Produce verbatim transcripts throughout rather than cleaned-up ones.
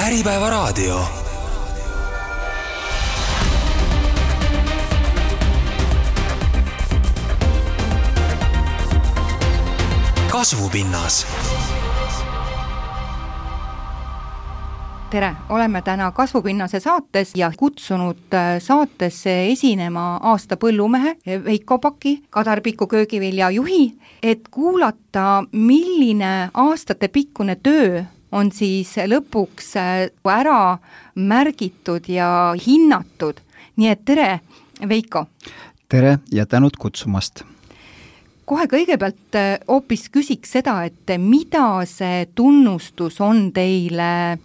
Äripäevaraadio. Kasvupinnas. Tere, oleme täna Kasvupinnase saates ja kutsunud saatesse esinema aasta põllumehe Veiko Paki, Kadarpiku köögivilja juhi, et kuulata, milline aastate pikkune töö on siis lõpuks ära märgitud ja hinnatud. Nii et tere, Veiko! Tere ja tänud kutsumast! Kohe kõigepealt hoopis küsiks seda, et mida see tunnustus on teile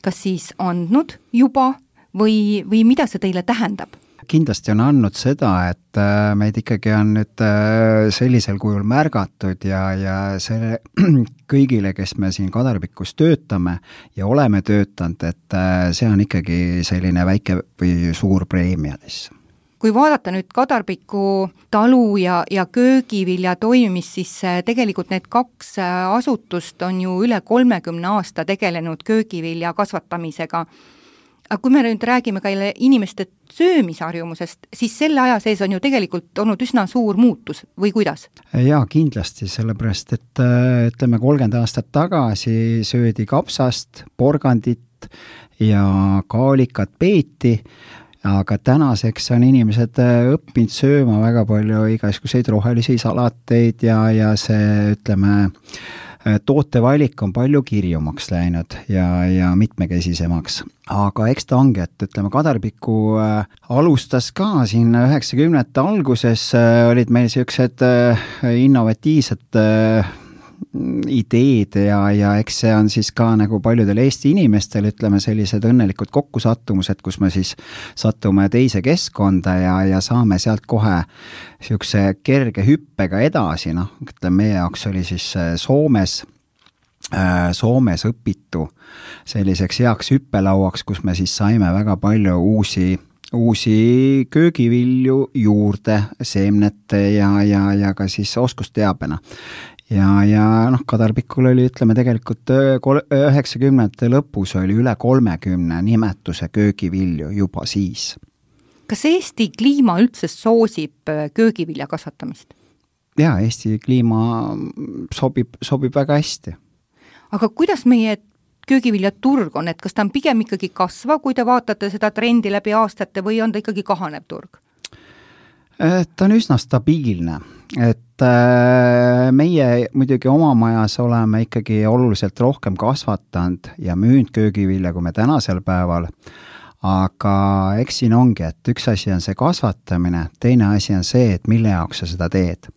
kas siis andnud juba või, või mida see teile tähendab? Kindlasti on andnud seda, et meid ikkagi on nüüd sellisel kujul märgatud ja, ja selle kõigile, kes me siin Kadarpikus töötame ja oleme töötanud, et see on ikkagi selline väike või suur preemiadis. Kui vaadata nüüd Kadarpiku talu ja, ja köögivilja toimimist, siis tegelikult need kaks asutust on ju üle kolmekümne aasta tegelenud köögivilja kasvatamisega. Aga kui me nüüd räägime ka inimeste söömisharjumusest, siis selle aja sees on ju tegelikult olnud üsna suur muutus, või kuidas? Jaa, kindlasti, sellepärast, et ütleme kolmkümmend aastat tagasi söödi kapsast, porgandit ja kaalikat peeti, aga tänaseks on inimesed õppinud sööma väga palju igasuguseid rohelisi salateid ja, ja see, ütleme, tootevalik on palju kirjumaks läinud ja, ja mitmekesisemaks. Aga eks ta ongi, et ütleme, Kadarpiku alustas ka siin üheksakümnendate alguses, olid meil sellised innovatiivsed ideed ja, ja eks see on siis ka nagu paljudel Eesti inimestel, ütleme, sellised õnnelikud kokkusattumused, kus me siis satume teise keskkonda ja, ja saame sealt kohe siukse kerge hüppega edasi, noh, ütleme, meie jaoks oli siis Soomes, Soomes õpitu selliseks heaks hüppelauaks, kus me siis saime väga palju uusi uusi köögivilju juurde, seemnete ja, ja, ja ka siis oskusteabena. Ja, ja noh, Kadarpikul oli, ütleme, tegelikult üheksakümnendate lõpus oli üle kolmekümne nimetuse köögivilju juba siis. Kas Eesti kliima üldse soosib köögivilja kasvatamist? Jaa, Eesti kliima sobib, sobib väga hästi. Aga kuidas meie köögivilja turg on, et kas ta on pigem ikkagi kasva, kui te vaatate seda trendi läbi aastate või on ta ikkagi kahanev turg? Ta on üsna stabiilne, et meie muidugi oma majas oleme ikkagi oluliselt rohkem kasvatanud ja müünud köögivilja kui me tänasel päeval, aga eks siin ongi, et üks asi on see kasvatamine, teine asi on see, et mille jaoks sa seda teed.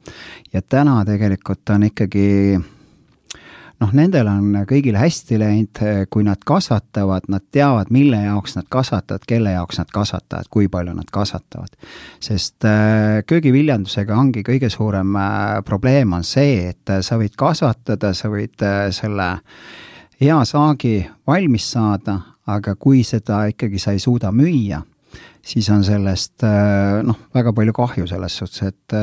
Ja täna tegelikult on ikkagi noh, nendel on kõigil hästi läinud, kui nad kasvatavad, nad teavad, mille jaoks nad kasvatavad, kelle jaoks nad kasvatavad, kui palju nad kasvatavad. Sest köögiviljandusega ongi kõige suurem probleem on see, et sa võid kasvatada, sa võid selle hea saagi valmis saada, aga kui seda ikkagi sa ei suuda müüa, siis on sellest noh, väga palju kahju selles suhtes, et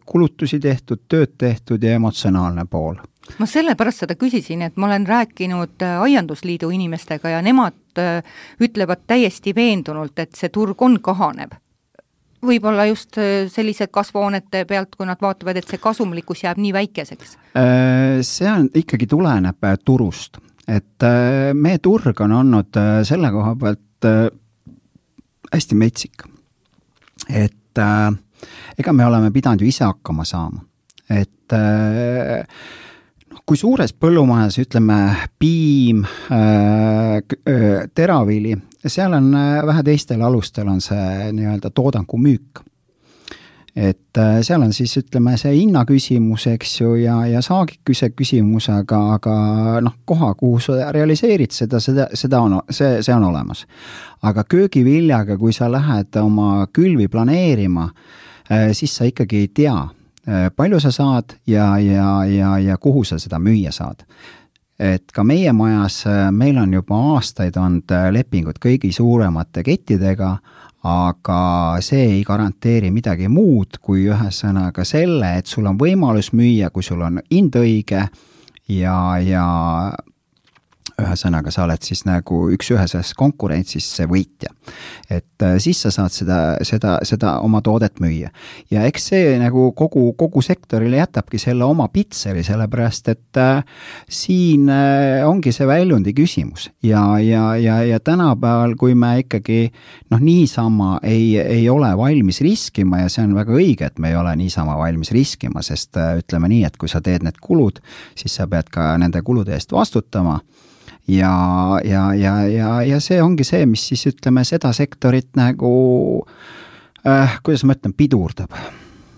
kulutusi tehtud, tööd tehtud ja emotsionaalne pool. Ma sellepärast seda küsisin, et ma olen rääkinud Aiandusliidu inimestega ja nemad ütlevad täiesti veendunult, et see turg on kahanev. Võib-olla just sellised kasvuhoonete pealt, kui nad vaatavad, et see kasumlikkus jääb nii väikeseks. See on ikkagi tuleneb turust. Et meie turg on olnud selle koha pealt hästi metsik. Et ega me oleme pidanud ju ise hakkama saama. Et kui suures põllumajas, ütleme, piim, teravili, seal on vähe teistel alustel on see nii-öelda toodangu müük. Et seal on siis, ütleme, see hinna küsimus, eks ju, ja, ja saagiküse küsimus, aga, aga noh, koha, kuhu sa realiseerid seda, seda, seda on, see, see on olemas. Aga köögiviljaga, kui sa lähed oma külvi planeerima, siis sa ikkagi ei tea, palju sa saad ja, ja, ja, ja kuhu sa seda müüa saad. Et ka meie majas, meil on juba aastaid olnud lepingud kõigi suuremate kettidega, aga see ei garanteeri midagi muud kui ühesõnaga selle, et sul on võimalus müüa, kui sul on hind õige ja, ja ühesõnaga, sa oled siis nagu üks-üheses konkurentsis see võitja. Et siis sa saad seda, seda, seda oma toodet müüa. Ja eks see nagu kogu, kogu sektorile jätabki selle oma pitseri, sellepärast, et äh, siin äh, ongi see väljundi küsimus. Ja, ja, ja, ja tänapäeval, kui me ikkagi noh, niisama ei, ei ole valmis riskima ja see on väga õige, et me ei ole niisama valmis riskima, sest äh, ütleme nii, et kui sa teed need kulud, siis sa pead ka nende kulude eest vastutama. Ja, ja, ja, ja, ja see ongi see, mis siis ütleme seda sektorit nagu, äh, kuidas ma ütlen, pidurdab.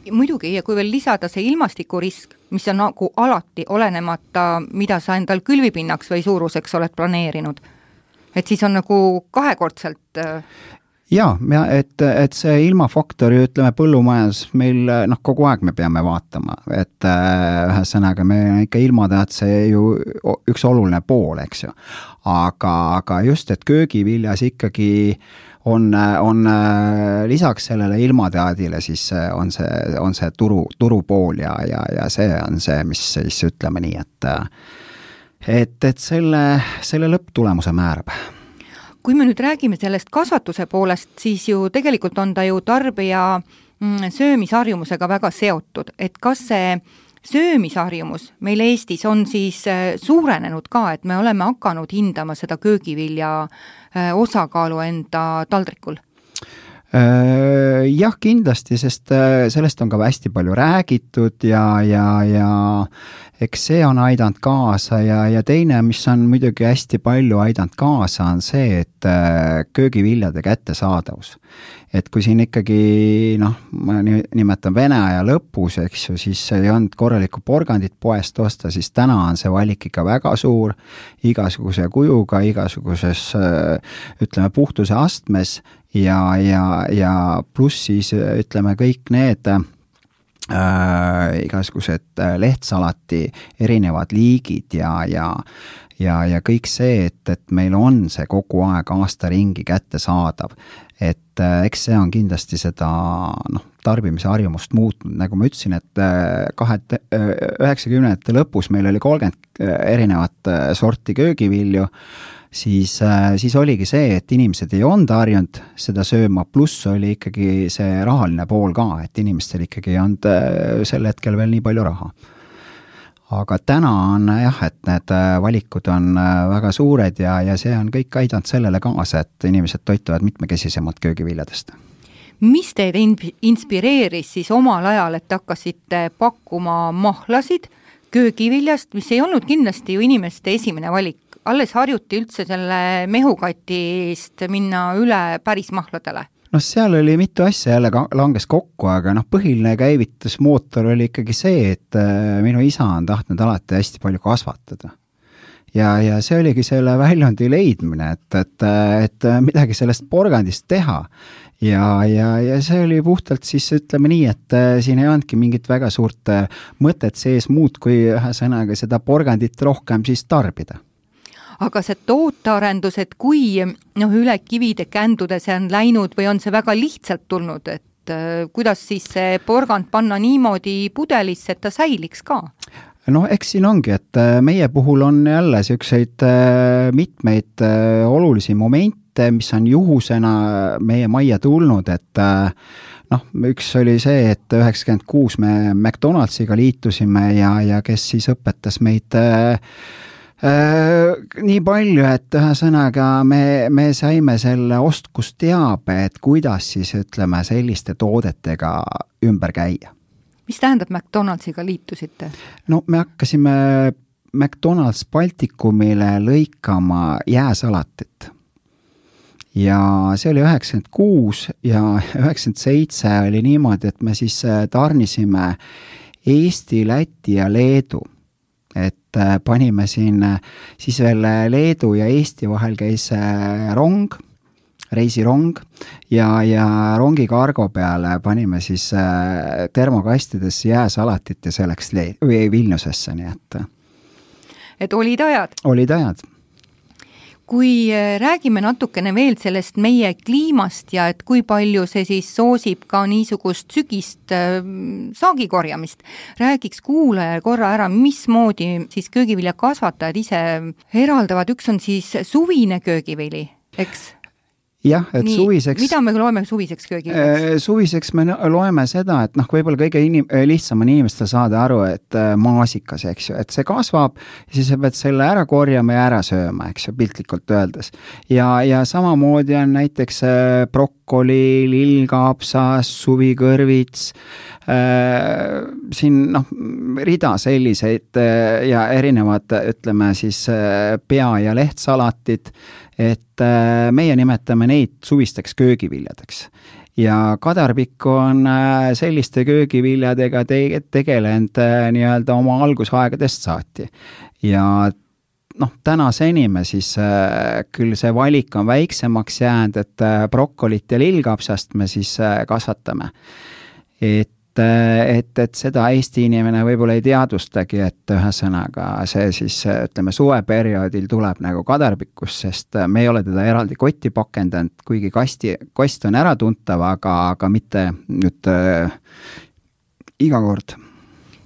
Muidugi, ja kui veel lisada see ilmastikurisk, mis on nagu alati olenemata, mida sa endal külvipinnaks või suuruseks oled planeerinud, et siis on nagu kahekordselt äh, jaa, et, et see ilmafaktori, ütleme, põllumajandus meil, noh, kogu aeg me peame vaatama, et ühesõnaga me ikka ilmatead see ju üks oluline pool, eks ju. Aga, aga just, et köögiviljas ikkagi on, on lisaks sellele ilmateadile, siis on see, on see turu, turupool ja, ja, ja see on see, mis siis ütleme nii, et, et, et selle, selle lõpptulemuse määrab. Kui me nüüd räägime sellest kasvatuse poolest, siis ju tegelikult on ta ju tarbija söömisharjumusega väga seotud, et kas see söömisharjumus meil Eestis on siis suurenenud ka, et me oleme hakanud hindama seda köögivilja osakaalu enda taldrikul? Jah, kindlasti, sest sellest on ka hästi palju räägitud ja, ja, ja eks see on aidanud kaasa ja, ja teine, mis on muidugi hästi palju aidanud kaasa, on see, et köögiviljade kättesaadavus. Et kui siin ikkagi, noh, ma nimetan Vene aja lõpus, eks ju, siis ei olnud korralikku porgandit poest osta, siis täna on see valik ikka väga suur, igasuguse kujuga, igasuguses, ütleme, puhtuse astmes ja, ja, ja pluss siis, ütleme, kõik need äh, igasugused lehtsalati erinevad liigid ja, ja ja, ja kõik see, et, et meil on see kogu aeg aasta ringi kättesaadav. Et eks see on kindlasti seda noh, tarbimise harjumust muutnud, nagu ma ütlesin, et kahe, üheksakümnendate lõpus meil oli kolmkümmend erinevat sorti köögivilju, siis, siis oligi see, et inimesed ei olnud harjunud seda sööma, pluss oli ikkagi see rahaline pool ka, et inimestel ikkagi ei olnud sel hetkel veel nii palju raha. Aga täna on jah, et need valikud on väga suured ja, ja see on kõik aidanud sellele kaasa, et inimesed toituvad mitmekesisemalt köögiviljadest. Mis teid inspireeris siis omal ajal, et hakkasite pakkuma mahlasid köögiviljast, mis ei olnud kindlasti ju inimeste esimene valik? Alles harjuti üldse selle mehukatist minna üle päris mahladele? No seal oli mitu asja jälle langes kokku, aga noh, põhiline käivitusmootor oli ikkagi see, et minu isa on tahtnud alati hästi palju kasvatada. Ja, ja see oligi selle väljundi leidmine, et, et, et midagi sellest porgandist teha. Ja, ja, ja see oli puhtalt siis, ütleme nii, et siin ei andki mingit väga suurt mõtet sees muud, kui ühe sõnaga seda porgandit rohkem siis tarbida. Aga see tootearendus, et kui noh, üle kivide kändude see on läinud või on see väga lihtsalt tulnud, et äh, kuidas siis see porgand panna niimoodi pudelisse, et ta säiliks ka? No eks siin ongi, et meie puhul on jälle selliseid äh, mitmeid äh, olulisi momente, mis on juhusena meie majja tulnud, et äh, noh, üks oli see, et üheksakümmend kuus me McDonaldsiga liitusime ja, ja kes siis õpetas meid äh, Äh, nii palju, et ühesõnaga me, me saime selle ostkusteabe, et kuidas siis ütleme selliste toodetega ümber käia. Mis tähendab McDonaldsiga liitusite? No me hakkasime McDonalds Baltikumile lõikama jääsalatit. Ja see oli üheksakümmend kuus ja üheksakümmend seitse oli niimoodi, et me siis tarnisime Eesti, Läti ja Leedu. Et panime siin siis veel Leedu ja Eesti vahel käis rong, reisirong ja, ja rongi kargo peale panime siis termokastidesse jääsalatit ja see läks Le- või Vilniusesse, nii et. Et olid ajad? Olid ajad. Kui räägime natukene veel sellest meie kliimast ja et kui palju see siis soosib ka niisugust sügist saagikorjamist, räägiks kuulaja korra ära, mismoodi siis köögiviljakasvatajad ise eraldavad, üks on siis suvine köögivili, eks? Jah, et Nii, suviseks... Mida me loeme suviseks köögiviljaks? Suviseks me loeme seda, et noh, võib-olla kõige inim, lihtsam on inimestel saada aru, et maasikas, eks ju, et see kasvab, siis sa pead selle ära korjama ja ära sööma, eks ju, piltlikult öeldes. Ja, ja samamoodi on näiteks brokkoli, lillkapsas, suvikõrvits, äh, siin noh, rida selliseid ja erinevad, ütleme siis pea- ja lehtsalatid, et meie nimetame neid suvisteks köögiviljadeks. Ja kadarpikku on selliste köögiviljadega te- tegelenud nii-öelda oma algusaegadest saati. Ja noh, tänaseni me siis küll see valik on väiksemaks jäänud, et brokkolit ja lillkapsast me siis kasvatame. Et et, et seda Eesti inimene võib-olla ei teadvustagi, et ühesõnaga see siis, ütleme, suveperioodil tuleb nagu kadarpikkus, sest me ei ole teda eraldi kotti pakendanud, kuigi kasti, kost on ära tuntav, aga, aga mitte nüüd äh, iga kord.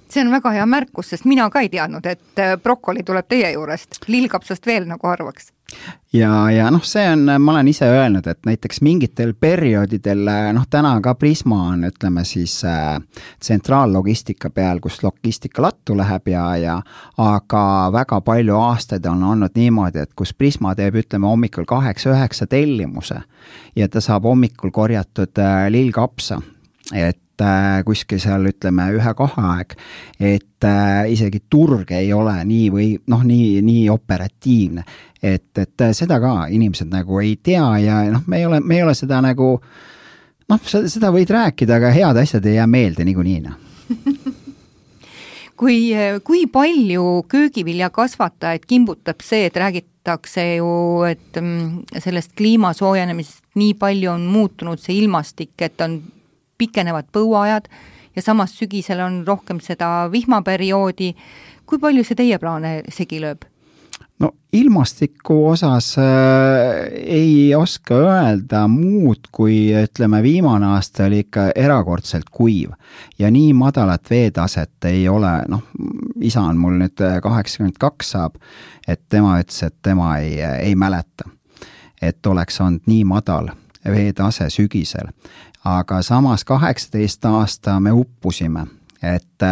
See on väga hea märkus, sest mina ka ei teadnud, et brokkoli tuleb teie juurest, lillkapsast veel nagu arvaks. Ja, ja noh, see on, ma olen ise öelnud, et näiteks mingitel perioodidel, noh täna ka Prisma on, ütleme siis äh, tsentraallogistika peal, kus logistika lattu läheb ja, ja aga väga palju aastaid on olnud niimoodi, et kus Prisma teeb, ütleme, hommikul kaheksa üheksa tellimuse ja ta saab hommikul korjatud äh, lillkapsa, et kuskil seal ütleme ühe kahe aeg, et äh, isegi turg ei ole nii või noh, nii, nii operatiivne, et, et seda ka inimesed nagu ei tea ja noh, me ei ole, me ei ole seda nagu noh, seda võid rääkida, aga head asjad ei jää meelde niikuinii. kui, kui palju köögiviljakasvatajaid kimbutab see, et räägitakse ju, et sellest kliima soojenemisest nii palju on muutunud see ilmastik, et on pikenevad põuajad ja samas sügisel on rohkem seda vihmaperioodi. Kui palju see teie plaane segi lööb? No ilmastiku osas äh, ei oska öelda muud, kui ütleme viimane aasta oli ikka erakordselt kuiv ja nii madalat veetaset ei ole, noh, isa on mul nüüd kaheksakümmend kaks saab, et tema ütles, et tema ei, ei mäleta, et oleks olnud nii madal veetase sügisel. Aga samas kaheksateist aasta me uppusime, et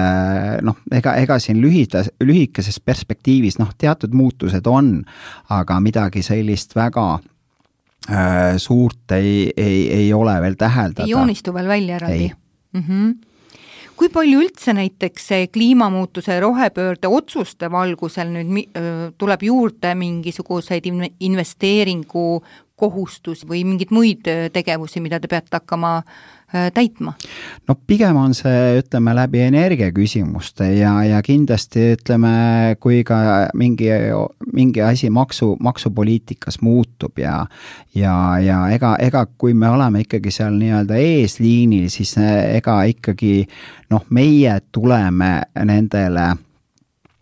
noh, ega, ega siin lühida, lühikeses perspektiivis noh, teatud muutused on, aga midagi sellist väga äh, suurt ei, ei, ei ole veel täheldada. Ei joonistu veel välja eraldi. Mm-hmm. Kui palju üldse näiteks kliimamuutuse rohepöörde otsuste valgusel nüüd tuleb juurde mingisuguseid investeeringu kohustus või mingid muid tegevusi, mida te peate hakkama täitma? No pigem on see, ütleme, läbi energiaküsimuste ja, ja kindlasti, ütleme, kui ka mingi, mingi asi maksu, maksupoliitikas muutub ja, ja, ja ega, ega kui me oleme ikkagi seal nii-öelda eesliinil, siis ega ikkagi noh, meie tuleme nendele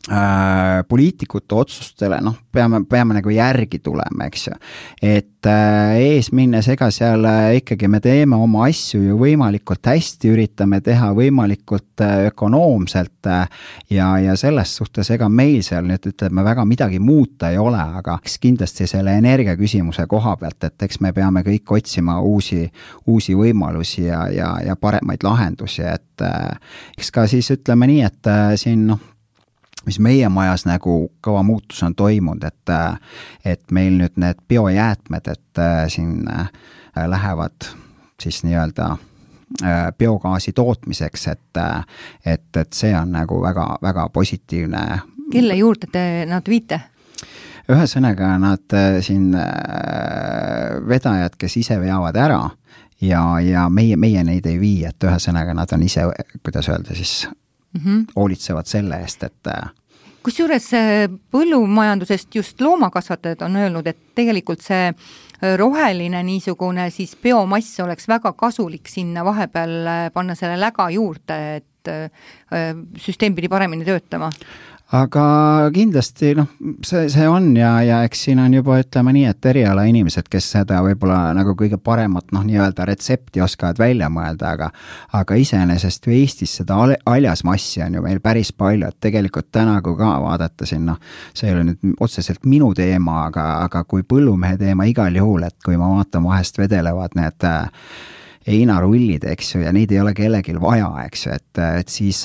Äh, poliitikute otsustele, noh, peame, peame nagu järgi tulema, eks ju. Et äh, ees minnes, ega seal äh, ikkagi me teeme oma asju ju võimalikult hästi, üritame teha võimalikult äh, ökonoomselt äh, ja, ja selles suhtes ega meil seal nüüd ütleme väga midagi muuta ei ole, aga kindlasti selle energiaküsimuse koha pealt, et eks me peame kõik otsima uusi, uusi võimalusi ja, ja, ja paremaid lahendusi, et äh, eks ka siis ütleme nii, et äh, siin noh, mis meie majas nagu kõva muutus on toimunud, et, et meil nüüd need biojäätmed, et siin lähevad siis nii-öelda biogaasi tootmiseks, et, et, et see on nagu väga, väga positiivne. Kelle juurde te nad viite? Ühesõnaga nad siin vedajad, kes ise veavad ära ja, ja meie, meie neid ei vii, et ühesõnaga nad on ise, kuidas öelda siis, Mm-hmm. hoolitsevad selle eest, et kusjuures põllumajandusest just loomakasvatajad on öelnud, et tegelikult see roheline niisugune siis biomass oleks väga kasulik sinna vahepeal panna selle läga juurde, et süsteem pidi paremini töötama. aga kindlasti noh, see, see on ja, ja eks siin on juba ütleme nii, et eriala inimesed, kes seda võib-olla nagu kõige paremat noh, nii-öelda retsepti oskavad välja mõelda, aga aga iseenesest ju Eestis seda haljasmassi on ju meil päris palju, et tegelikult täna, kui ka vaadata siin, noh, see ei ole nüüd otseselt minu teema, aga, aga kui põllumehe teema igal juhul, et kui ma vaatan vahest vedelevad need heinarullid, eks ju, ja neid ei ole kellelgi vaja, eks ju, et, et siis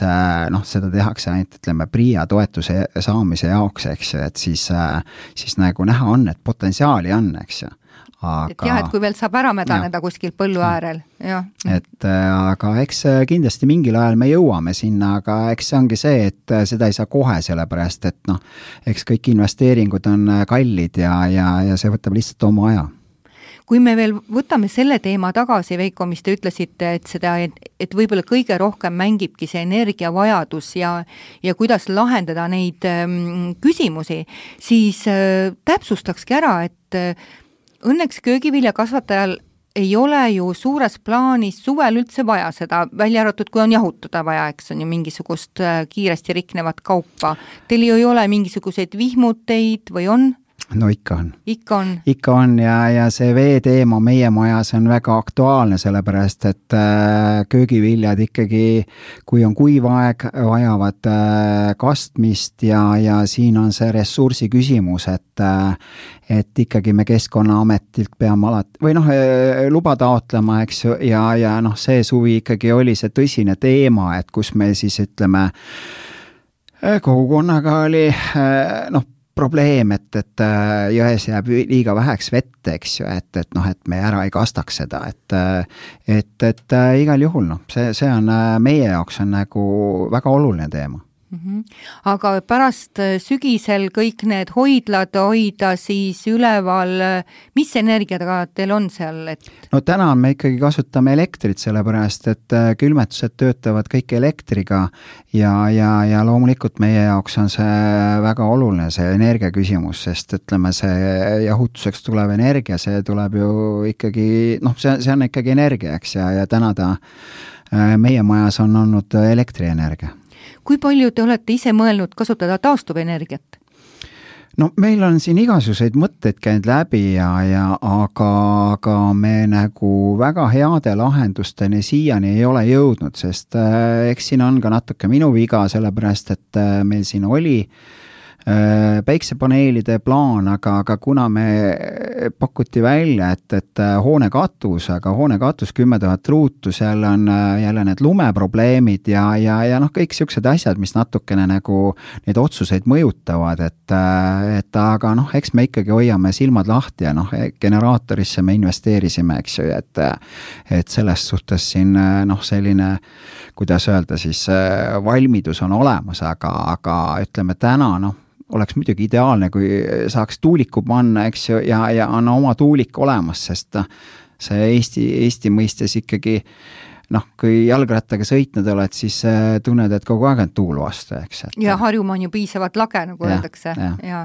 noh, seda tehakse ainult, ütleme, PRIA toetuse saamise jaoks, eks ju, et siis, siis nagu näha on, et potentsiaali on, eks ju. Aga, et jah, et kui veel saab ära mädaneda ja. Kuskil põllu äärel, jah. Et aga eks kindlasti mingil ajal me jõuame sinna, aga eks see ongi see, et seda ei saa kohe, sellepärast, et noh, eks kõik investeeringud on kallid ja, ja, ja see võtab lihtsalt oma aja. Kui me veel võtame selle teema tagasi, Veiko, mis te ütlesite, et seda, et, et võib-olla kõige rohkem mängibki see energiavajadus ja, ja kuidas lahendada neid ähm, küsimusi, siis äh, täpsustakski ära, et äh, õnneks köögiviljakasvatajal ei ole ju suures plaanis suvel üldse vaja seda, välja arvatud, kui on jahutada vaja, eks on ju mingisugust äh, kiiresti riknevat kaupa. Teil ju ei ole mingisuguseid vihmuteid või on? No ikka on. Ikka on. Ikka on ja, ja see vee teema meie majas on väga aktuaalne, sellepärast et äh, köögiviljad ikkagi, kui on kuiv aeg, vajavad äh, kastmist ja, ja siin on see ressursi küsimus, et äh, et ikkagi me Keskkonnaametilt peame alati, või noh, luba taotlema, eks ju, ja, ja noh, see suvi ikkagi oli see tõsine teema, et kus me siis ütleme, kogukonnaga oli noh, probleem, et, et jões jääb liiga väheks vett, eks ju, et, et noh, et me ära ei kastaks seda, et et, et igal juhul, noh, see, see on meie jaoks on nagu väga oluline teema. Mm-hmm. Aga pärast sügisel kõik need hoidlad hoida siis üleval, mis energiaga teil on seal? Et... No täna me ikkagi kasutame elektrit, sellepärast et külmetused töötavad kõik elektriga ja, ja, ja loomulikult meie jaoks on see väga oluline, see energia küsimus, sest ütleme, see jahutuseks tulev energia, see tuleb ju ikkagi, noh, see, see on ikkagi energia, eks, ja, ja täna ta meie majas on olnud elektrienergia. Kui palju te olete ise mõelnud kasutada taastuvenergiat? No meil on siin igasuguseid mõtteid käinud läbi ja, ja aga, aga me nagu väga heade lahendusteni siiani ei ole jõudnud, sest äh, eks siin on ka natuke minu viga, sellepärast et äh, meil siin oli päiksepaneelide plaan, aga, aga kuna me pakuti välja, et, et hoone katus, aga hoone katus kümme tuhat ruutu, seal on jälle need lumeprobleemid ja, ja, ja noh, kõik siuksed asjad, mis natukene nagu neid otsuseid mõjutavad, et, et aga noh, eks me ikkagi hoiame silmad lahti ja noh, generaatorisse me investeerisime, eks ju, et, et selles suhtes siin noh, selline, kuidas öelda siis, valmidus on olemas, aga, aga ütleme täna noh, oleks muidugi ideaalne, kui saaks tuuliku panna, eks ju, ja, ja on oma tuulik olemas, sest see Eesti, Eesti mõistes ikkagi, noh, kui jalgrattaga sõitnud oled, siis tunned, et kogu aeg on tuul vastu, eks. Et... Ja Harjumaa on ju piisavalt lage, nagu ja, öeldakse. Ja. Ja.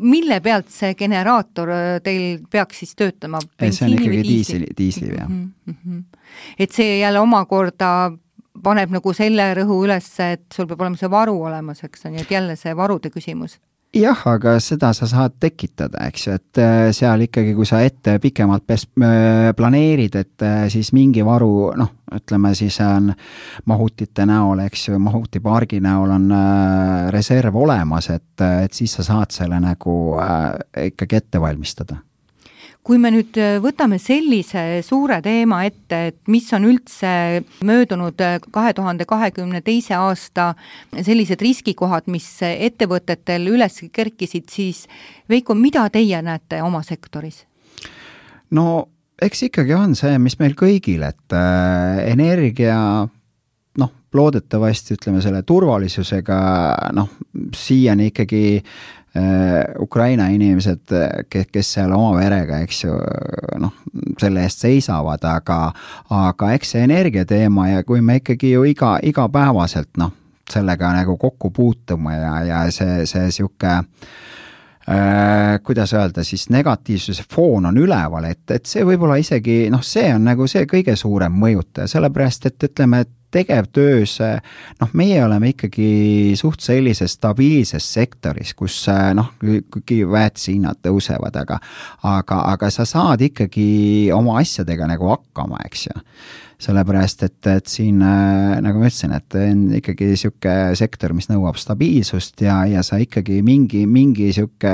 Mille pealt see generaator teil peaks siis töötama? See on ikkagi diisli, diisli, jah. Mm-hmm. Et see jälle omakorda paneb nagu selle rõhu üles, et sul peab olema see varu olemas, eks on, et jälle see varude küsimus. Jah, aga seda sa saad tekitada, eks ju, et seal ikkagi, kui sa ette pikemalt pes- planeerid, et siis mingi varu, noh, ütleme siis on mahutite näol, eks ju, mahutipargi näol on reserv olemas, et, et siis sa saad selle nagu ikkagi ette valmistada. Kui me nüüd võtame sellise suure teema ette, et mis on üldse möödunud kahe tuhande kahekümne teise aasta sellised riskikohad, mis ettevõtetel üles kerkisid, siis Veiko, mida teie näete oma sektoris? No eks ikkagi on see, mis meil kõigil, et energia, noh, loodetavasti ütleme selle turvalisusega, noh, siiani ikkagi Ukraina inimesed, kes seal oma verega, eks ju, noh, selle eest seisavad, aga, aga eks see energiateema ja kui me ikkagi ju iga, igapäevaselt, noh, sellega nagu kokku puutume ja, ja see, see siuke, äh, kuidas öelda, siis negatiivsuse foon on üleval, et, et see võib-olla isegi, noh, see on nagu see kõige suurem mõjutaja, sellepärast, et ütleme, et tegevtöös, noh, meie oleme ikkagi suht sellises stabiilses sektoris, kus noh, kuigi väetishinnad tõusevad, aga, aga, aga sa saad ikkagi oma asjadega nagu hakkama, eks ju. Sellepärast, et, et siin, nagu ma ütlesin, et on ikkagi siuke sektor, mis nõuab stabiilsust ja, ja sa ikkagi mingi, mingi siuke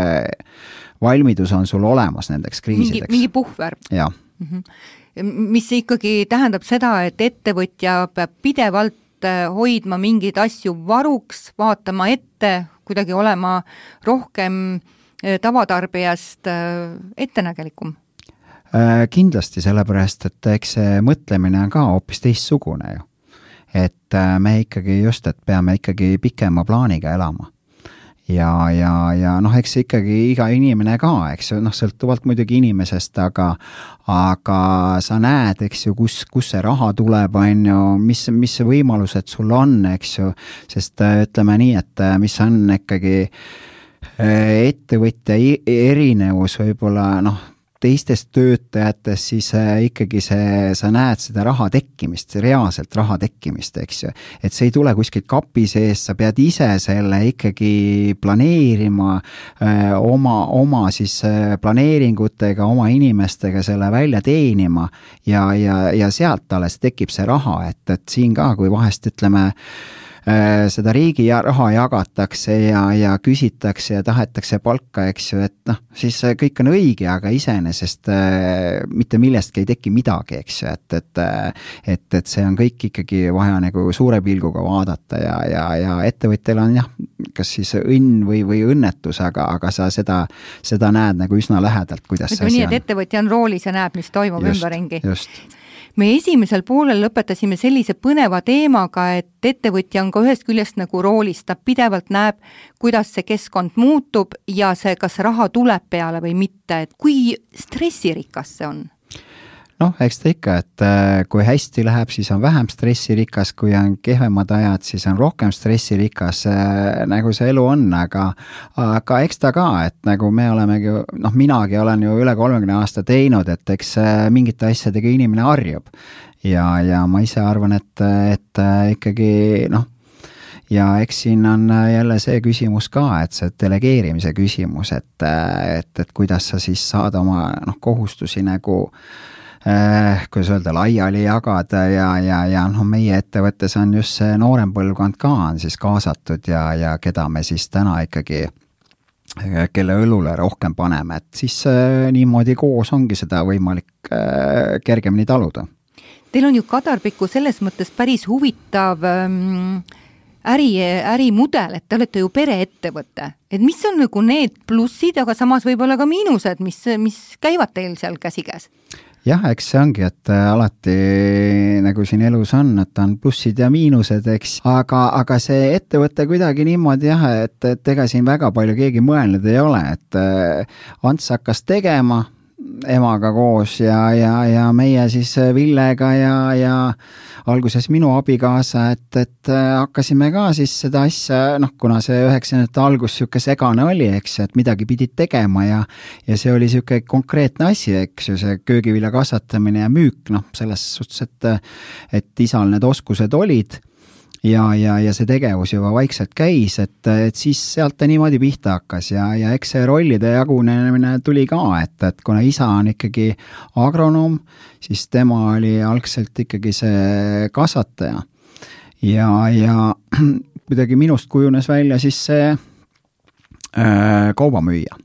valmidus on sul olemas nendeks kriisideks. Mingi, mingi puhver. Jah. Mm-hmm. Mis ikkagi tähendab seda, et ettevõtja peab pidevalt hoidma mingeid asju varuks, vaatama ette, kuidagi olema rohkem tavatarbijast ettenägelikum. Kindlasti sellepärast, et eks see mõtlemine on ka hoopis teistsugune ju. Et me ikkagi just, et peame ikkagi pikema plaaniga elama. Ja, ja, ja noh, eks ikkagi iga inimene ka, eks ju, noh, sõltuvalt muidugi inimesest, aga, aga sa näed, eks ju, kus, kus see raha tuleb, on ju, mis, mis võimalused sul on, eks ju, sest ütleme nii, et mis on ikkagi ettevõtja erinevus võib-olla, noh, teistest töötajatest, siis ikkagi see, sa näed seda raha tekkimist, reaalselt raha tekkimist, eks ju. Et see ei tule kuskilt kapi sees, sa pead ise selle ikkagi planeerima öö, oma, oma siis planeeringutega, oma inimestega selle välja teenima ja, ja, ja sealt alles tekib see raha, et, et siin ka, kui vahest ütleme, seda riigi raha jagatakse ja, ja küsitakse ja tahetakse palka, eks ju, et noh, siis kõik on õige, aga iseenesest mitte millestki ei teki midagi, eks ju, et, et, et, et see on kõik ikkagi vaja nagu suure pilguga vaadata ja, ja, ja ettevõttel on jah, kas siis õnn või, või õnnetus, aga, aga sa seda, seda näed nagu üsna lähedalt, kuidas see asi on. Nii, et ettevõtja on roolis ja näeb, mis toimub just, ümberringi. Just. Me esimesel poolel lõpetasime sellise põneva teemaga, et ettevõtja on ka ühest küljest nagu roolis, ta pidevalt näeb, kuidas see keskkond muutub ja see, kas raha tuleb peale või mitte, et kui stressirikas see on? Noh, eks ta ikka, et kui hästi läheb, siis on vähem stressirikas, kui on kehvemad ajad, siis on rohkem stressirikas, nagu see elu on, aga, aga eks ta ka, et nagu me olemegi, noh, minagi olen ju üle kolmekümne aasta teinud, et eks mingite asjadega inimene harjub ja, ja ma ise arvan, et, et ikkagi, noh, ja eks siin on jälle see küsimus ka, et see delegeerimise küsimus, et, et, et kuidas sa siis saad oma noh, kohustusi nagu Eh, kuidas öelda, laiali jagada ja, ja, ja noh, meie ettevõttes on just see noorem põlvkond ka on siis kaasatud ja, ja keda me siis täna ikkagi, kelle õlule rohkem paneme, et siis eh, niimoodi koos ongi seda võimalik eh, kergemini taluda. Teil on ju Kadarpiku selles mõttes päris huvitav ähm, äri, ärimudel, et te olete ju pereettevõte. Et mis on nagu need plussid, aga samas võib-olla ka miinused, mis, mis käivad teil seal käsikäes? Jah, eks see ongi, et alati nagu siin elus on, et on plussid ja miinused, eks, aga, aga see ettevõte kuidagi niimoodi jah, et, et ega siin väga palju keegi mõelnud ei ole, et Ants hakkas tegema emaga koos ja, ja, ja meie siis Villega ja, ja alguses minu abikaasa, et, et hakkasime ka siis seda asja, noh, kuna see üheksakümnendate algus siuke segane oli, eks, et midagi pidid tegema ja, ja see oli siuke konkreetne asi, eks ju, see köögivilja kasvatamine ja müük, noh, selles suhtes, et, et isal need oskused olid ja, ja, ja see tegevus juba vaikselt käis, et, et siis sealt ta niimoodi pihta hakkas ja, ja eks see rollide jagunemine tuli ka, et, et kuna isa on ikkagi agronoom, siis tema oli algselt ikkagi see kasvataja ja, ja kuidagi minust kujunes välja siis see äh, kaubamüüja.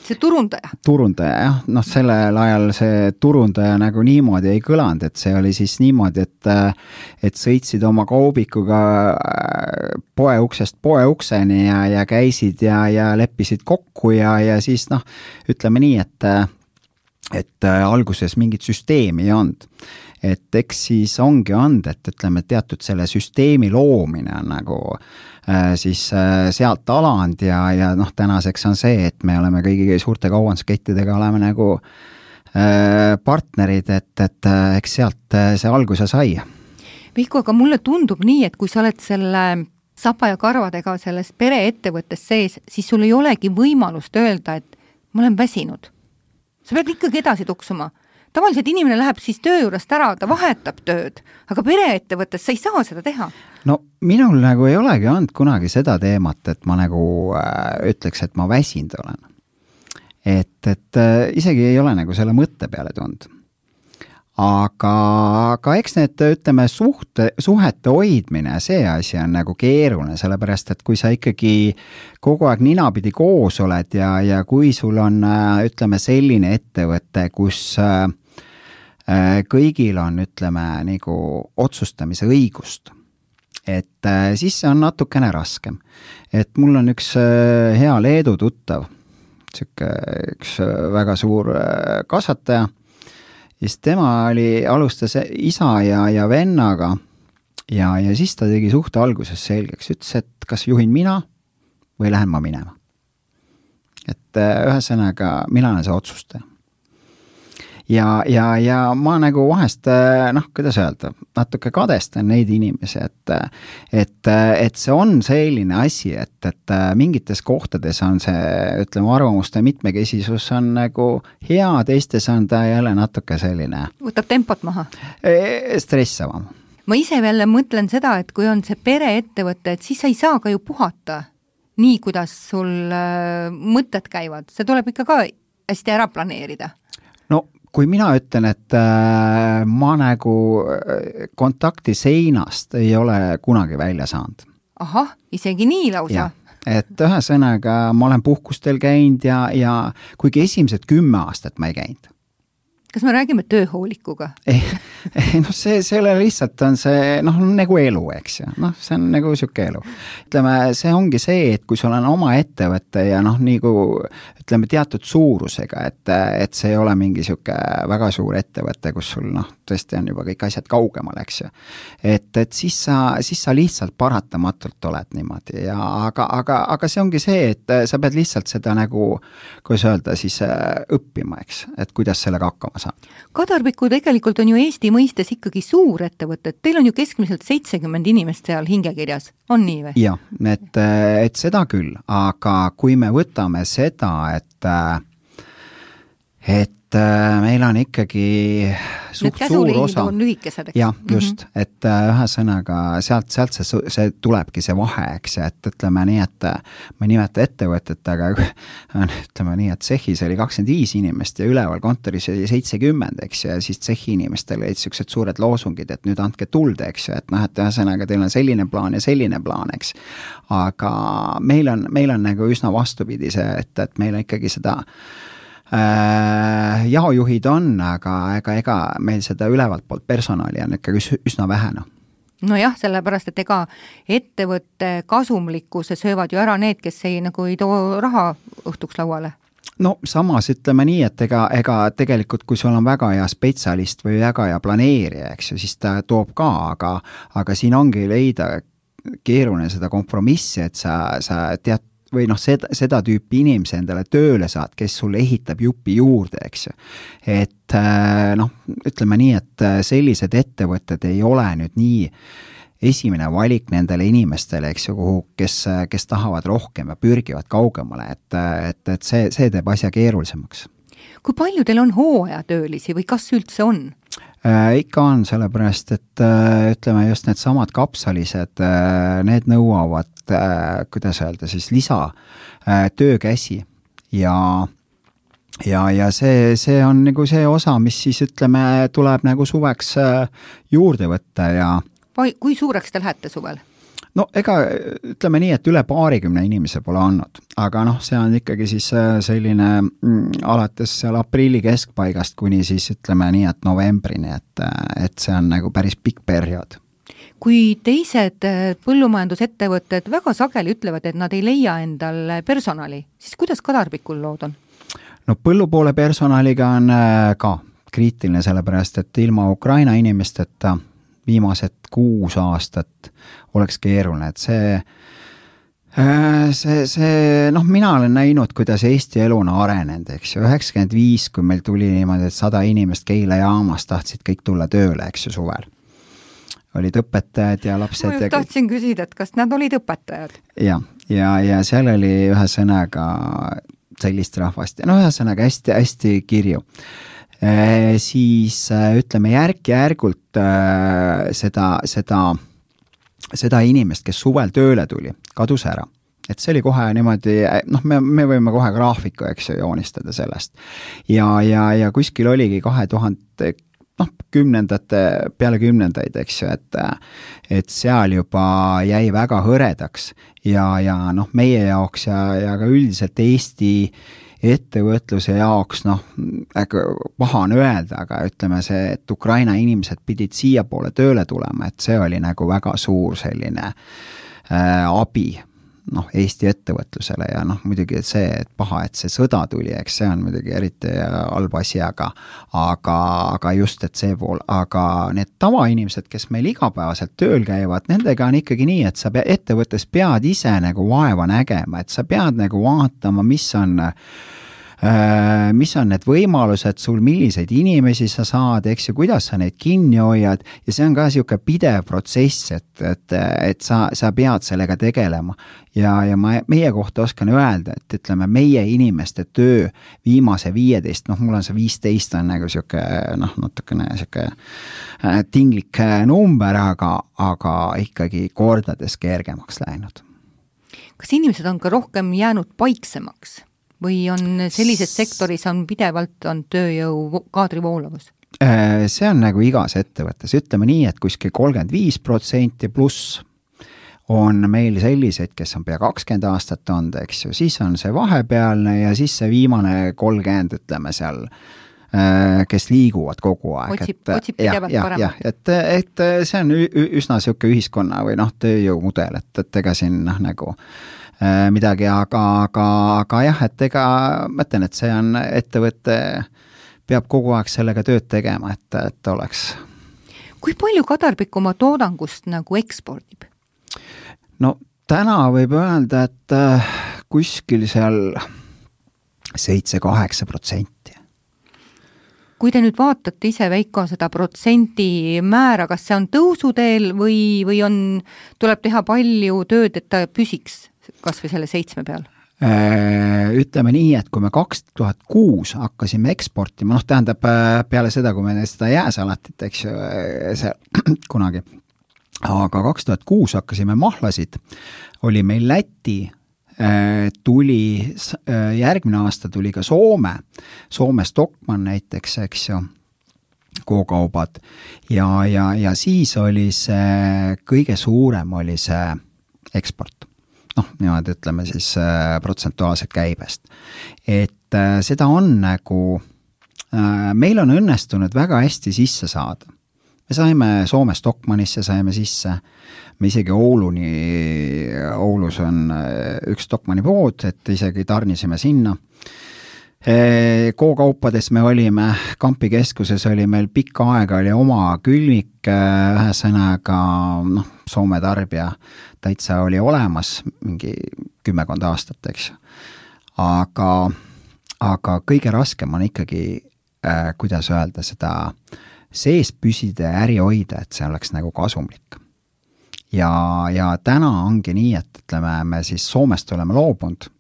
See turundaja? Turundaja, jah. Noh, sellel ajal see turundaja nagu niimoodi ei kõlanud, et see oli siis niimoodi, et, et sõitsid oma kaubikuga poe uksest poe ukseni ja, ja käisid ja, ja leppisid kokku ja, ja siis noh, ütleme nii, et, et alguses mingit süsteemi ei olnud. Et eks siis ongi olnud, et ütleme, teatud selle süsteemi loomine on nagu siis sealt alanud ja, ja noh, tänaseks on see, et me oleme kõigi suurte kaubanduskettidega oleme nagu partnerid, et, et eks sealt see alguse sai. Vihku, aga mulle tundub nii, et kui sa oled selle sapa ja karvadega selles pereettevõttes sees, siis sul ei olegi võimalust öelda, et ma olen väsinud. Sa pead ikkagi edasi tuksuma. tavaliselt inimene läheb siis töö juurest ära, ta vahetab tööd, aga pereettevõttes sa ei saa seda teha. No minul nagu ei olegi olnud kunagi seda teemat, et ma nagu äh, ütleks, et ma väsinud olen. Et, et äh, isegi ei ole nagu selle mõtte peale tulnud. Aga, aga eks need, ütleme, suhte, suhete hoidmine, see asi on nagu keeruline, sellepärast, et kui sa ikkagi kogu aeg ninapidi koos oled ja, ja kui sul on, ütleme, selline ettevõte, kus äh, kõigil on, ütleme, nagu otsustamise õigust, et äh, siis see on natukene raskem. Et mul on üks äh, hea Leedu tuttav, üks väga suur äh, kasvataja, ja siis tema oli, alustas isa ja, ja vennaga ja, ja siis ta tegi suhte alguses selgeks, ütles, et kas juhin mina või lähen ma minema. Et ühesõnaga, mina olen see otsustaja. Ja, ja, ja ma nagu vahest, noh, kuidas öelda, natuke kadestan neid inimesi, et, et, et see on selline asi, et, et mingites kohtades on see, ütleme, arvamuste mitmekesisus on nagu hea, teistes on ta jälle natuke selline. Võtab tempot maha? Stressavam. Ma ise veel mõtlen seda, et kui on see pereettevõte, et siis sa ei saa ka ju puhata nii, kuidas sul mõtted käivad. See tuleb ikka ka hästi ära planeerida. No kui mina ütlen, et äh, ma nagu kontakti seinast ei ole kunagi välja saanud. Ahah, isegi nii lausa? Ja, et ühesõnaga ma olen puhkustel käinud ja, ja kuigi esimesed kümme aastat ma ei käinud. Kas me räägime tööhoolikuga? Ei, ei noh, see, see ole lihtsalt on see, noh, nagu elu, eks ju. Noh, see on nagu siuke elu. Ütleme, see ongi see, et kui sul on oma ettevõtte ja noh, nagu ütleme teatud suurusega, et, et see ei ole mingi siuke väga suur ettevõte, kus sul noh, tõesti on juba kõik asjad kaugemal, eks ju. Et, et siis sa, siis sa lihtsalt paratamatult oled niimoodi ja aga, aga, aga see ongi see, et sa pead lihtsalt seda nagu, kuidas öelda, siis õppima, eks, et kuidas sellega hakkama saada. Kadarpiku tegelikult on ju Eesti mõistes ikkagi suur ettevõtted. Teil on ju keskmiselt seitsekümmend inimest seal hingekirjas. On nii või? Jah, et, et seda küll, aga kui me võtame seda, et, et meil on ikkagi suht suur osa. On lühikesed, eks? Jah, just, mm -hmm. et ühesõnaga sealt, sealt see, see tulebki see vahe, eks, et ütleme nii, et ma ei nimeta ettevõtet, aga ütleme nii, et tsehhis oli kakskümmend viis inimest ja üleval kontoris oli seitsekümmend, eks, ja siis tsehhi inimestel olid sellised suured loosungid, et nüüd andke tulde, eks, et noh, et ühesõnaga teil on selline plaan ja selline plaan, eks. Aga meil on, meil on nagu üsna vastupidi see, et, et meil on ikkagi seda Äh, jaojuhid on, aga ega, ega meil seda ülevalt poolt personali on ikkagi üsna vähena. No jah, sellepärast, et ega ettevõtte kasumlikkuse söövad ju ära need, kes ei, nagu ei too raha õhtuks lauale. No samas ütleme nii, et ega, ega tegelikult kui sul on väga hea spetsialist või väga hea planeerija, eks ju, siis ta toob ka, aga, aga siin ongi leida keeruline seda kompromissi, et sa, sa tead või noh, seda, seda tüüpi inimese endale tööle saad, kes sulle ehitab jupi juurde, eks ju. Et noh, ütleme nii, et sellised ettevõtted ei ole nüüd nii esimene valik nendele inimestele, eks ju, kuhu, kes, kes tahavad rohkem ja pürgivad kaugemale, et, et, et see, see teeb asja keerulisemaks. Kui palju teil on hooajatöölisi või kas üldse on? Äh, ikka on, sellepärast, et äh, ütleme just need samad kapsalised, äh, need nõuavad, äh, kuidas öelda, siis lisa äh, töökäsi ja, ja, ja see, see on nagu see osa, mis siis ütleme, tuleb nagu suveks äh, juurde võtta ja Vai, kui suureks te lähete suvel? No ega ütleme nii, et üle paarikümne inimese pole andnud, aga noh, see on ikkagi siis selline mm, alates seal aprilli keskpaigast kuni siis ütleme nii, et novembrini, et, et see on nagu päris pikk periood. Kui teised põllumajandusettevõtted väga sageli ütlevad, et nad ei leia endal personali, siis kuidas Kadarpikul lood on? No põllupoole personaliga on ka kriitiline, sellepärast, et ilma Ukraina inimesteta viimased kuus aastat oleks keeruline, et see, see, see, noh, mina olen näinud, kuidas Eesti elu on arenenud, eks ju, üheksakümmend viis, kui meil tuli niimoodi, et sada inimest Keila jaamas tahtsid kõik tulla tööle, eks ju, suvel. Olid õpetajad ja lapsed. Ma just tahtsin küsida, et kas nad olid õpetajad? Ja, ja, ja seal oli ühe sõnaga sellist rahvast, no ühe sõnaga hästi, hästi kirju. siis ütleme järk-järgult seda, seda, seda inimest, kes suvel tööle tuli, kadus ära. Et see oli kohe niimoodi, noh, me, me võime kohe graafiku, eks ju, joonistada sellest. Ja, ja, ja kuskil oligi kahe tuhande, noh, kümnendate, peale kümnendaid, eks ju, et, et seal juba jäi väga hõredaks ja, ja noh, meie jaoks ja, ja ka üldiselt Eesti ettevõtluse jaoks, noh, paha on öelda, aga ütleme see, et Ukraina inimesed pidid siia poole tööle tulema, et see oli nagu väga suur selline äh, abi, noh, Eesti ettevõtlusele ja noh, muidugi see, et paha, et see sõda tuli, eks see on muidugi eriti halb asi, aga, aga, aga just, et see pool, aga need tavainimesed, kes meil igapäevaselt tööl käivad, nendega on ikkagi nii, et sa pea, ettevõttes pead ise nagu vaeva nägema, et sa pead nagu vaatama, mis on mis on need võimalused sul, milliseid inimesi sa saad, eks ju, kuidas sa neid kinni hoiad ja see on ka niisugune pidev protsess, et, et, et sa, sa pead sellega tegelema ja, ja ma meie kohta oskan öelda, et ütleme, meie inimeste töö viimase viieteist, noh, mul on see viisteist on nagu niisugune, noh, natukene niisugune tinglik number, aga, aga ikkagi kordades kergemaks läinud. Kas inimesed on ka rohkem jäänud paiksemaks? Või on sellises sektoris on pidevalt on tööjõu kaadri voolavus? See on nagu igas ettevõttes. Ütleme nii, et kuskil kolmkümmend viis protsenti pluss on meil selliseid, kes on pea kakskümmend aastat olnud, eks ju. Siis on see vahepealne ja siis see viimane kolmkümmend, ütleme seal, kes liiguvad kogu aeg. Otsib, et, otsib pidevalt ja, paremat. Ja, et, et see on üsna siuke ühiskonna või noh, tööjõumudel, et, et ega siin noh, nagu midagi, aga, aga, aga jah, et ega mõtlen, et see on ettevõte, peab kogu aeg sellega tööd tegema, et, et oleks. Kui palju Kadarpik oma toodangust nagu ekspordib? No täna võib öelda, et kuskil seal seitse kaheksa protsenti. Kui te nüüd vaatate ise, Veiko, seda protsendi määra, kas see on tõusuteel või, või on, tuleb teha palju tööd, et ta püsiks kas või selle seitsme peal? Ütleme nii, et kui me kaks tuhat kuus hakkasime eksportima, noh tähendab peale seda, kui me seda jääsalatit, eks ju, see kunagi, aga kaks tuhat kuus hakkasime mahlasid, oli meil Läti, tuli, järgmine aasta tuli ka Soome, Soome Stockmann näiteks, eks ju, K-kaubad ja, ja, ja siis oli see, kõige suurem oli see eksport. Noh, niimoodi ütleme siis äh, protsentuaalselt käibest. Et äh, seda on nagu, äh, meil on õnnestunud väga hästi sisse saada. Me saime Soome Stockmannisse, saime sisse, me isegi Ouluni, Oulus on äh, üks Stockmanni pood, et isegi tarnisime sinna. E, K-kaupades me olime, Kampi keskuses oli meil pikka aega, oli oma külmik, ühesõnaga, noh, Soome tarbija täitsa oli olemas mingi kümmekond aastat, eks. Aga, aga kõige raskem on ikkagi, äh, kuidas öelda, seda sees püsida ja äri hoida, et see oleks nagu kasumlik. Ja, ja täna ongi nii, et ütleme, me siis Soomest oleme loobunud.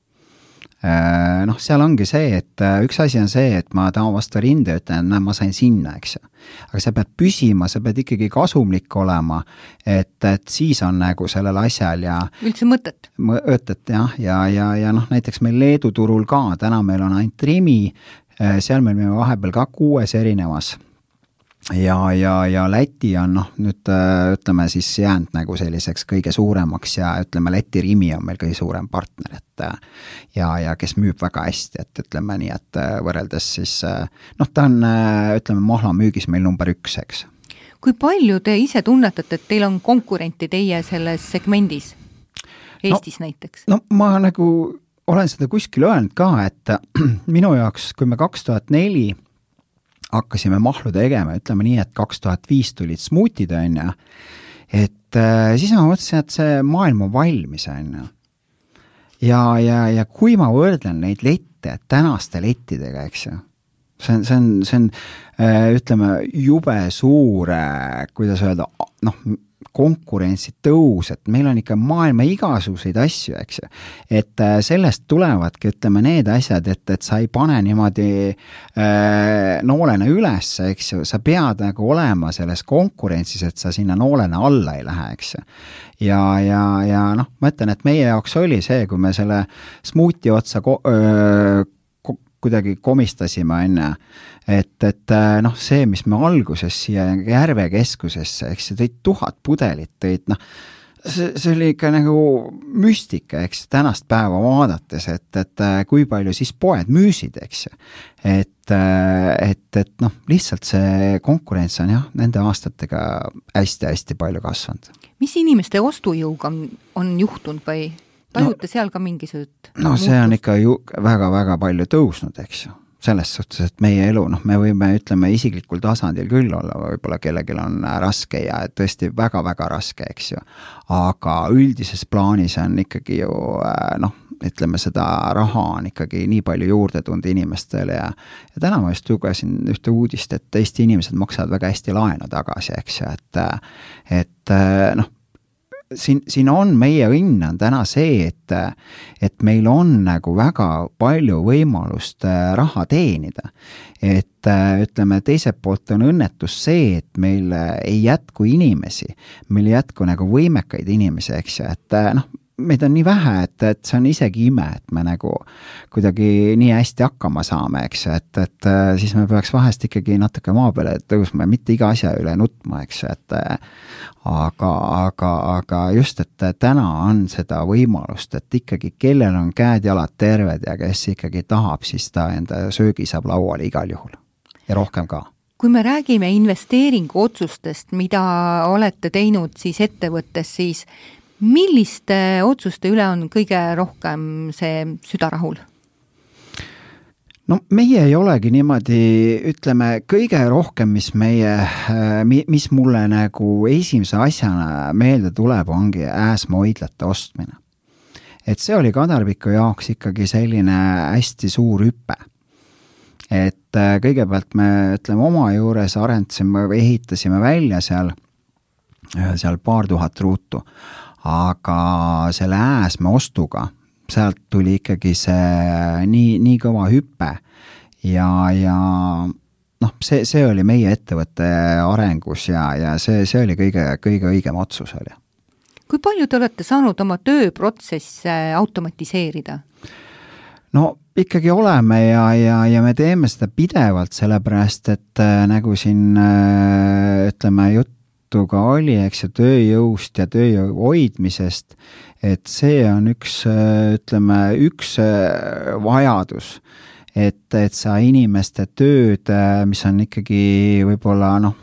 Noh, seal ongi see, et üks asi on see, et ma tahan vastu rinde ütlen, et ma sain sinna, eks. Aga sa pead püsima, sa pead ikkagi kasumlik olema, et, et siis on nagu sellel asjal ja üldse mõtet. Mõtet, jah, ja, ja, ja noh, näiteks meil Leedu turul ka, täna meil on ainult Rimi, seal meil me vahepeal ka kuues erinevas. Ja, ja, ja Läti on, noh, nüüd ütleme siis jäänud nagu selliseks kõige suuremaks ja ütleme, Läti Rimi on meil kõige suurem partner, et ja, ja kes müüb väga hästi, et ütleme nii, et võrreldes siis, noh, ta on, ütleme, mahla müügis meil number üks, eks. Kui palju te ise tunnetate, et teil on konkurenti teie selles segmendis, Eestis no, näiteks? No ma nagu olen seda kuskil öelnud ka, et minu jaoks, kui me kaks tuhat neli hakkasime mahlu tegema, ütleme nii, et kaks tuhat viis tulid smuutid, on ja, et äh, siis ma mõtlesin, et see maailm on valmis, on ja. Ja, ja, ja kui ma võrdlen neid lette tänaste lettidega, eks ju, see on, see on, see on äh, ütleme, jube suur, äh, kuidas öelda, noh, konkurentsi tõus, et meil on ikka maailma igasuguseid asju, eks ju. Et sellest tulevadki, ütleme, need asjad, et, et sa ei pane niimoodi äh, noolena üles, eks ju, sa pead nagu olema selles konkurentsis, et sa sinna noolena alla ei lähe, eks ju. Ja, ja, ja noh, ma ütlen, et meie jaoks oli see, kui me selle smuuti otsa ko- öö, kuidagi komistasime enne, et, et noh, see, mis me alguses siia Järve keskusesse, eks see tõid tuhat pudelit, tõid noh, see, see oli ikka nagu müstika, eks tänast päeva vaadates, et, et kui palju siis poed müüsid, eks et, et, et noh, lihtsalt see konkurents on jah, nende aastatega hästi-hästi palju kasvanud. Mis inimeste ostujõuga on, on juhtunud või tajute no, seal ka mingisugust no muutust? See on ikka ju väga-väga palju tõusnud, eks ju. Selles suhtes, et meie elu, noh, me võime, ütleme, isiklikul tasandil küll olla, võib-olla kellegil on raske ja tõesti väga-väga raske, eks ju. Aga üldises plaanis on ikkagi ju, noh, ütleme, seda raha on ikkagi nii palju juurde tulnud inimestele ja, ja täna ma just lugesin ühte uudist, et Eesti inimesed maksavad väga hästi laenu tagasi, eks ju, et, et noh, Siin, siin on meie õnn on täna see, et, et meil on nagu väga palju võimalust raha teenida. Et ütleme, teiselt poolt on õnnetus see, et meil ei jätku inimesi, meil ei jätku nagu võimekaid inimesi, eks ju, et noh, meid on nii vähe, et, et see on isegi ime, et me nagu kuidagi nii hästi hakkama saame, eks, et, et siis me peaks vahest ikkagi natuke maa peale tõusma ja mitte iga asja üle nutma, eks, et aga, aga, aga just, et täna on seda võimalust, et ikkagi kellel on käed-jalad terved ja kes ikkagi tahab, siis ta enda söögi saab lauale igal juhul ja rohkem ka. Kui me räägime investeeringu otsustest, mida olete teinud siis ettevõttes, siis milliste otsuste üle on kõige rohkem see südarahul? No meie ei olegi niimoodi, ütleme, kõige rohkem, mis meie, mis mulle nagu esimese asjana meelde tuleb, ongi ääsmoidlate ostmine. Et see oli Kadarpiku jaoks ikkagi selline hästi suur hüpe. Et kõigepealt me, ütleme, oma juures arendasime, ehitasime välja seal, seal paar tuhat ruutu. Aga selle ääsme ostuga, sealt tuli ikkagi see nii, nii kõva hüppe ja, ja noh, see, see oli meie ettevõtte arengus ja, ja see, see oli kõige, kõige õigem otsus oli. Kui palju te olete saanud oma tööprotsesse automatiseerida? No ikkagi oleme ja, ja, ja me teeme seda pidevalt, sellepärast, et nagu siin ütleme jutt, ka oli, eks ju, tööjõust ja tööjõu hoidmisest, et see on üks, ütleme, üks vajadus, et, et sa inimeste tööd, mis on ikkagi võib-olla, noh,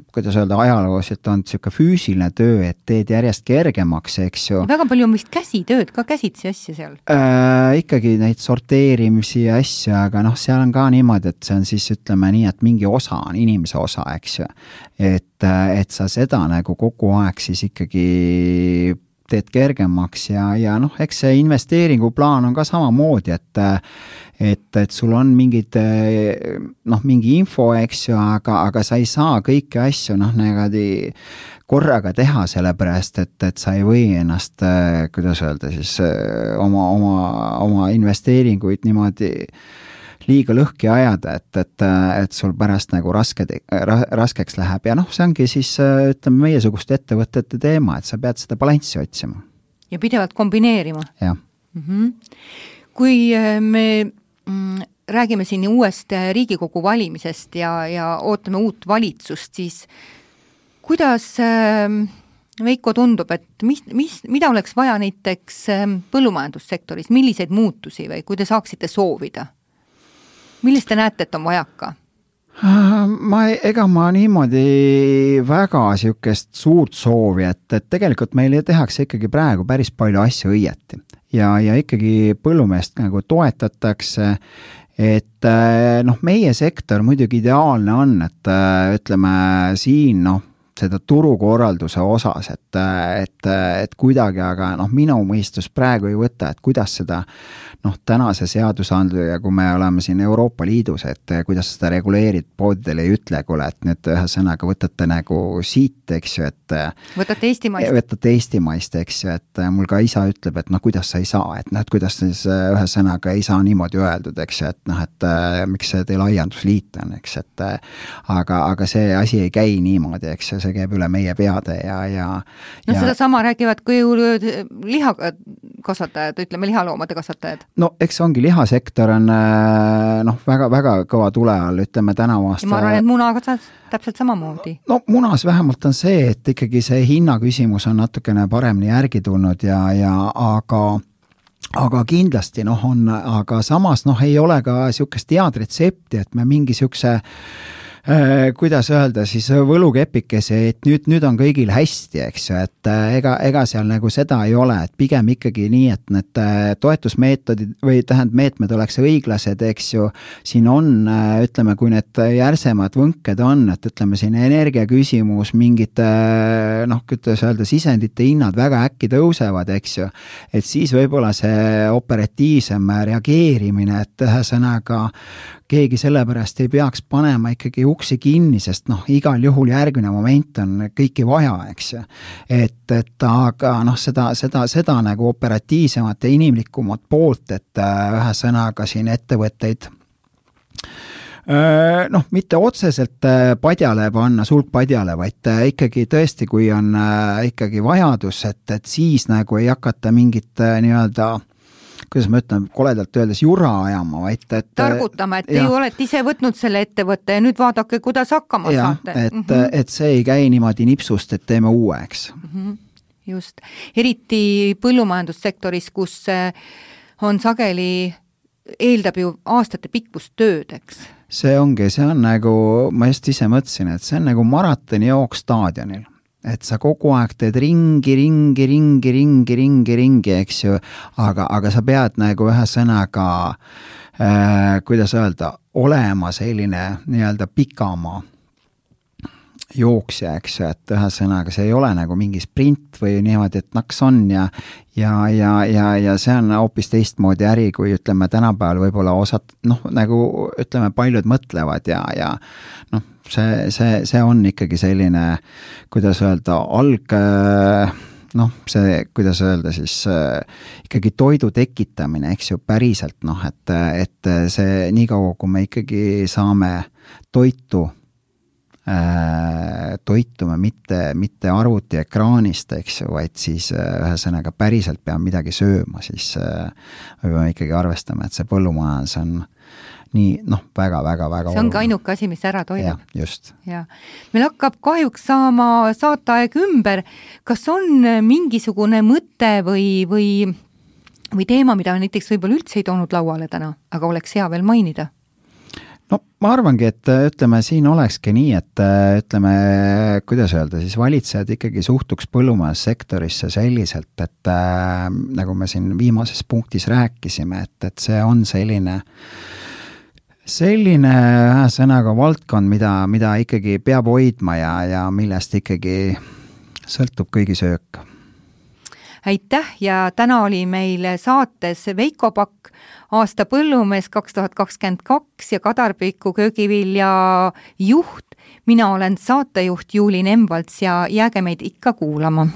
kuidas öelda, ajaloos, et on niisugune füüsiline töö, et teed järjest kergemaks, eks ju. Väga palju on vist käsitööd, ka käsitsi asja seal? Äh, ikkagi neid sorteerimisi ja asja, aga noh, seal on ka niimoodi, et see on siis, ütleme nii, et mingi osa on inimese osa, eks ju. Et, et sa seda nagu kogu aeg siis ikkagi teed kergemaks ja, ja noh, eks see investeeringuplaan on ka samamoodi, et et, et sul on mingid, noh, mingi info, eks ju, aga, aga sa ei saa kõiki asju, noh, negadi korraga teha, sellepärast, et, et sa ei või ennast, kuidas öelda siis, oma, oma, oma investeeringuid niimoodi liiga lõhki ajada, et, et, et sul pärast nagu raske, raskeks läheb ja noh, see ongi siis, ütleme, meiesuguste ettevõtete teema, et sa pead seda balanssi otsima. Ja pidevalt kombineerima? Jah. Mm-hmm. Kui me mm, räägime siin uuest Riigikogu valimisest ja, ja ootame uut valitsust, siis kuidas Veiko tundub, et mis, mis, mida oleks vaja näiteks põllumajandussektoris, milliseid muutusi või kui te saaksite soovida? Millest te näete, et on vajaka? Ma, ega ma niimoodi väga siukest suurt soovi, et, et tegelikult meil tehakse ikkagi praegu päris palju asju õieti ja, ja ikkagi põllumeest nagu toetatakse, et noh, meie sektor muidugi ideaalne on, et ütleme siin, noh, seda turukorralduse osas, et, et, et kuidagi, aga noh, minu mõistus praegu ei võta, et kuidas seda noh, tänase seadusandluja, kui me oleme siin Euroopa Liidus, et kuidas seda reguleerid, poodidele ei ütle, kuule, et nüüd ühe sõnaga võtate nagu siit, eks ju, et võtate eestimaist. Võtate eestimaist, eks ju, et mul ka isa ütleb, et noh, kuidas sa ei saa, et noh, et kuidas siis ühe sõnaga ei saa niimoodi öeldud, eks ju, et noh, et miks see teil aiandusliit on, eks, et aga, aga see asi ei käi niimoodi, eks ju, see käib üle meie peade ja, ja no ja... seda sama räägivad kui lihakasvatajad, ütleme lihaloomade kasvatajad. No eks ongi, lihasektor on noh, väga, väga kõva tule all, ütleme tänavu aasta. Ja ma arvan, et munaga täpselt samamoodi. No munas vähemalt on see, et ikkagi see hinna küsimus on natukene paremini järgi tulnud ja, ja aga aga kindlasti noh on, aga samas noh ei ole ka niisugust head retsepti, et me mingi niisuguse kuidas öelda siis võlukepikese, et nüüd, nüüd on kõigil hästi, eks ju, et ega, ega seal nagu seda ei ole, et pigem ikkagi nii, et need toetusmeetodid või tähend meetmed oleks õiglased, eks ju, siin on, ütleme, kui need järsemad võnked on, et ütleme siin energia küsimus, mingid noh, kuidas öelda, sisendite hinnad väga äkki tõusevad, eks ju, et siis võib-olla see operatiivsem reageerimine, et ühesõnaga keegi sellepärast ei peaks panema ikkagi uksi kinni, sest noh, igal juhul järgmine moment on kõiki vaja, eks ju. Et, et aga noh, seda, seda, seda nagu operatiivsemat ja inimlikumat poolt, et ühe sõnaga siin ettevõtteid noh, mitte otseselt padjale panna, sulg padjale, vaid ikkagi tõesti, kui on ikkagi vajadus, et, et siis nagu ei hakata mingit nii-öelda kuidas ma ütlen, koledalt öeldes jura ajama, vaid et targutama, et te ju olete ise võtnud selle ettevõtte ja nüüd vaadake, kuidas hakkama ja, saate. Et, mm -hmm. et see ei käi niimoodi nipsust, et teeme uueks. Mm -hmm. Just. Eriti põllumajandussektoris, kus on sageli, eeldab ju aastate pikkust tööd, eks? See ongi, see on nagu, ma just ise mõtlesin, et see on nagu maratoni jook staadionil. Et sa kogu aeg teed ringi, ringi, ringi, ringi, ringi, ringi, eks ju, aga, aga sa pead nagu ühe sõnaga, äh, kuidas öelda, olema selline nii-öelda pikamaa jooksja, eks ju, et ühe sõnaga see ei ole nagu mingi sprint või niimoodi, et naks on ja, ja, ja, ja, ja see on hoopis teistmoodi äri, kui ütleme tänapäeval võib-olla osad, noh, nagu ütleme, paljud mõtlevad ja, ja noh, see, see, see on ikkagi selline, kuidas öelda, alg, noh, see, kuidas öelda siis ikkagi toidu tekitamine, eks ju, päriselt, noh, et, et see nii kaua, kui me ikkagi saame toitu toitume mitte, mitte arvuti ekraanist, eks ju, vaid siis ühesõnaga päriselt peame midagi sööma, siis me peame ikkagi arvestama, et see põllumajandus on nii, noh, väga, väga, väga see ongi ainuke asi, mis ära toidab. Ja, just. Ja. Meil hakkab kahjuks saama saateaeg ümber. Kas on mingisugune mõte või, või, või teema, mida näiteks võib-olla üldse ei toonud lauale täna, aga oleks hea veel mainida? No ma arvangi, et ütleme, siin olekski nii, et ütleme, kuidas öelda, siis valitsejad ikkagi suhtuks põllumajandussektorisse selliselt, et äh, nagu me siin viimases punktis rääkisime, et, et see on selline selline sõnaga valdkond, mida, mida ikkagi peab hoidma ja, ja millest ikkagi sõltub kõigi söök. Aitäh ja täna oli meil saates Veiko Pakk, aasta põllumees kaks tuhat kakskümmend kaks ja Kadarpiku köögivilja juht. Mina olen saatejuht Juuli Nemvalts ja jääge meid ikka kuulama.